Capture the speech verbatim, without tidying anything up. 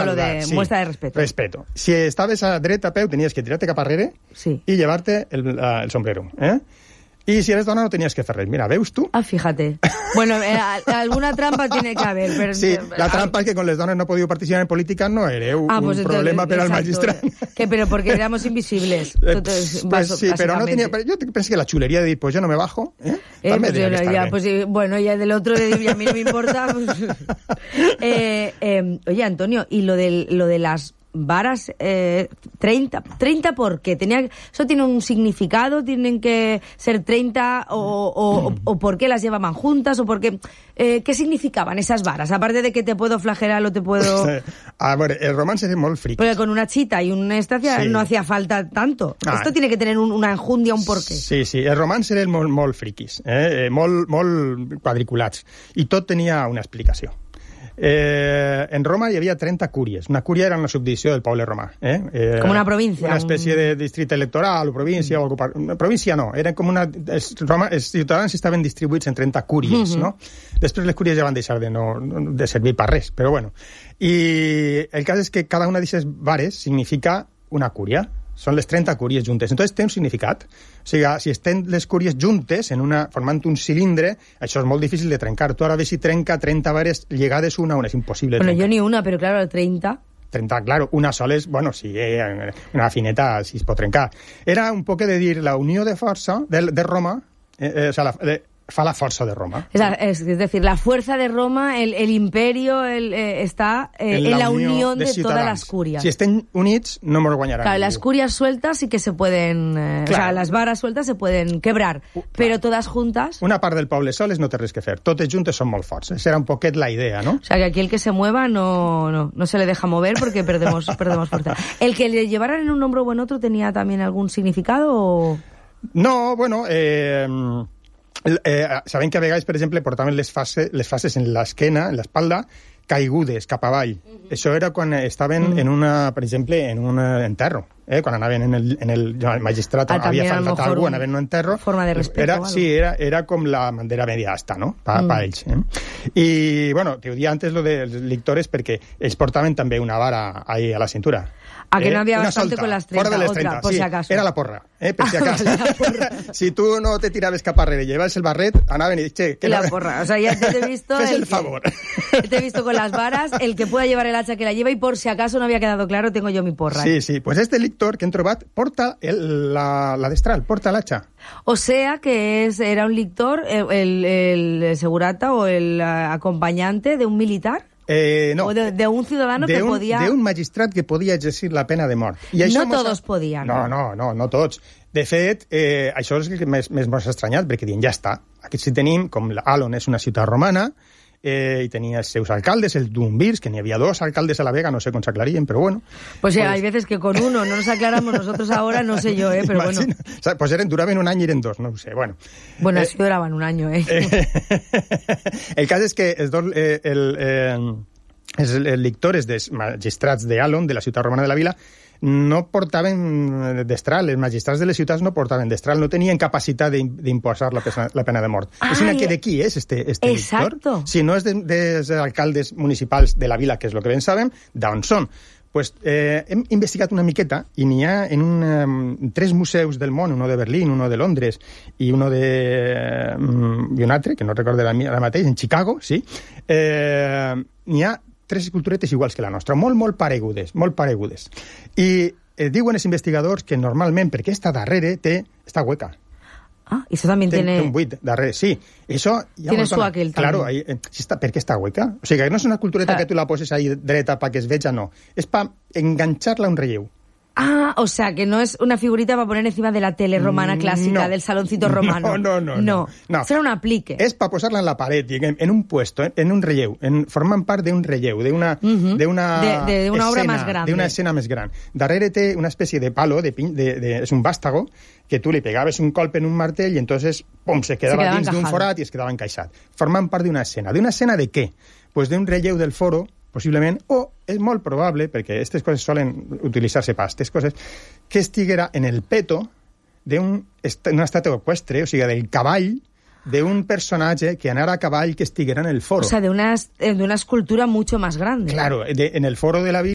lo de sí. muestra de respeto. Respeto. Si estaves a dret a peu, tenies que tirar-te cap arrere sí. i llevar-te el, el sombrero, eh? Y si eres dona no tenías que hacer res. Mira, ¿veus tú? Ah, fíjate. Bueno, eh, alguna trampa tiene que haber. Pero... Sí, la trampa es que con les dones no he podido participar en política no era un, ah, pues un problema per al magistrat. Que, pero porque éramos invisibles. Entonces, pues sí, pero no tenía... Pero yo pensé que la chulería de decir, pues yo no me bajo, ¿eh? eh pues yo, ya, pues, bueno, ya del otro de decir, a mí no me importa. Pues... eh, eh, oye, Antonio, y lo de, lo de las... varas, eh, treinta, treinta ¿por qué? Tenía, ¿eso tiene un significado? ¿Tienen que ser treinta o, o, o, o por qué las llevaban juntas? ¿O por qué, eh, qué significaban esas varas? Aparte de que te puedo flagelar o te puedo... A ver, el romance es molt friqui. Porque con una chita y una estacia sí. no hacía falta tanto. Ah, Esto tiene que tener un, una enjundia, un porqué. Sí, sí, el romance era molt, molt friquis, eh? molt, molt quadriculats. I tot tenia una explicació. Eh, en Roma hi havia trenta cúries. Una cúria era una subdivisió del poble romà. Eh? Eh, com una província. Una espècie de districte electoral o província. Mm. O algo, província no, era com una... Els, Roma, els ciutadans estaven distribuïts en trenta cúries, mm-hmm. no? Després les cúries ja van deixar de, no, de servir per res, però bueno. I el cas és que cada una d'aquestes vares significa una cúria. Són les trenta cúries juntes. Entonces té un significat. O sigui, si estem les cúries juntes, en una, formant un cilindre, això és molt difícil de trencar. Tu ara ves si trenca trenta vares lligades una a una. És impossible bueno, trencar. Yo ni una, pero claro, treinta... treinta, claro. Una sola és, bueno, sí, una fineta si es pot trencar. Era un poc de dir la unió de força de, de Roma, eh, eh, o sea, la, de, fa la força de Roma. Es, es, es decir, la fuerza de Roma, el, el imperio, el, eh, está eh, en, la en la unión de, de todas las curias. Si estén units, no nos guanyarán. Claro, las curias sueltas sí que se pueden... Eh, claro. O sea, las varas sueltas se pueden quebrar, uh, pero todas juntas... Una part del poble soles no té res que fer. Totes juntes són molt forts. Esa era un poquet la idea, ¿no? O sea, que aquí el que se mueva no, no, no se le deja mover porque perdemos, perdemos fuerza. ¿El que le llevaran en un hombro o en otro tenía también algún significado o...? No, bueno... Eh... Eh, sabem que a vegades, per exemple, portaven les fases, les fases en l'esquena, en l'espalda, caigudes cap avall. Uh-huh. Això era quan estaven uh-huh. en una, per exemple, en un enterro. Eh? Quan anaven en el, en el, el magistrat, ah, havia faltat algú, anaven en un enterro. Forma de respeto. Era, sí, era, era com la bandera media asta, no? Pa, uh-huh. pa ells. Eh? I, bueno, te ho dia antes lo dels lictores perquè ells portaven també una vara ahí a la cintura. A que eh? no había una bastante solta, con las treinta, fora de les otra, treinta, por sí, si acaso. Era la porra, eh? Per si acaso. Si tú no te tiraves cap arrere y llevas el barret, anaven y che, que la no... porra, o sea, ya te he visto... Fes el, el favor. Que, te he visto con las varas, el que pueda llevar el hacha que la lleva y por si acaso no había quedado claro, tengo yo mi porra. Sí, sí, pues este lictor que hem trobat porta el, la, la destral, porta l'hacha. O sea que es, era un lictor, el, el, el segurata o el acompañante de un militar. Eh, no. O de, de un ciudadano de que un, podía... De un magistrat que podia exercir la pena de mort. I això no todos podien. No, no, no, no tots. De fet, eh, això és el que més, més m'ha estranyat, perquè diuen, ja està. Aquí sí tenim, com Alon és una ciutat romana, eh, i tenia els seus alcaldes, el Dumbirs, que n'hi havia dos alcaldes a la Vega, no sé com s'aclarien, però bueno. Pues, pues hay veces que con uno no nos aclaramos nosotros ahora, no sé yo, eh, pero imagina, bueno. O sea, pues eren, duraven un any i eren dos, no ho sé, bueno. Bueno, eh, así duraban un año, eh. eh el cas és que els dos... Eh, el, eh, els lictores dels magistrats d'Alon, de la ciutat romana de la vila, no portaven destral. Els magistrats de les ciutats no portaven destral, no tenien capacitat d'imposar la, la pena de mort. Ah, és una que d'aquí és este, este lictor. Si no és de, dels alcaldes municipals de la vila, que és el que ben sabem, d'on són. Pues, eh, hem investigat una miqueta i n'hi ha en un, um, tres museus del món, uno de Berlín, uno de Londres i uno de... Um, i un altre, que no recordo ara mateix, en Chicago, sí. Eh, n'hi ha tres esculturetes iguals que la nostra, molt, molt paregudes, molt paregudes. I eh, diuen els investigadors que normalment, perquè esta darrere té, està hueca. Ah, eso también Ten, tiene... Té un buit darrere, sí. Eso, tiene su aquel también. Claro, ahí, eh, si està, ¿per què està hueca? O sigui, que no és una escultureta ah. que tu la poses ahí dreta para que es veja, no. És para enganxar-la a un relleu. Ah, o sea, que no es una figurita para poner encima de la tele romana clásica, no. del saloncito romano. No, no, no. No, no. Será un aplique. És para posar-la en la paret, en, en un puesto, en un relleu, en, formant part d'un relleu, d'una uh-huh. de una de, de una escena, obra más grande. D'una escena més gran. Darrere té una espècie de palo, de, de, de, és un vástago, que tu li pegaves un colp en un martell i entonces, pum, se quedava, se quedava dins d'un forat i es quedava encaixat. Formant part d'una escena. D'una escena de què? Pues d'un relleu del foro, possiblement, o és molt probable, perquè aquestes coses solen utilitzar-se per aquestes coses, que estiguera en el peto d'una estàtua eqüestre, o sigui, del cavall d'un personatge que anara a cavall que estiguera en el foro. O sea, de una, de una escultura mucho más grande. Claro, de, en el foro de la vida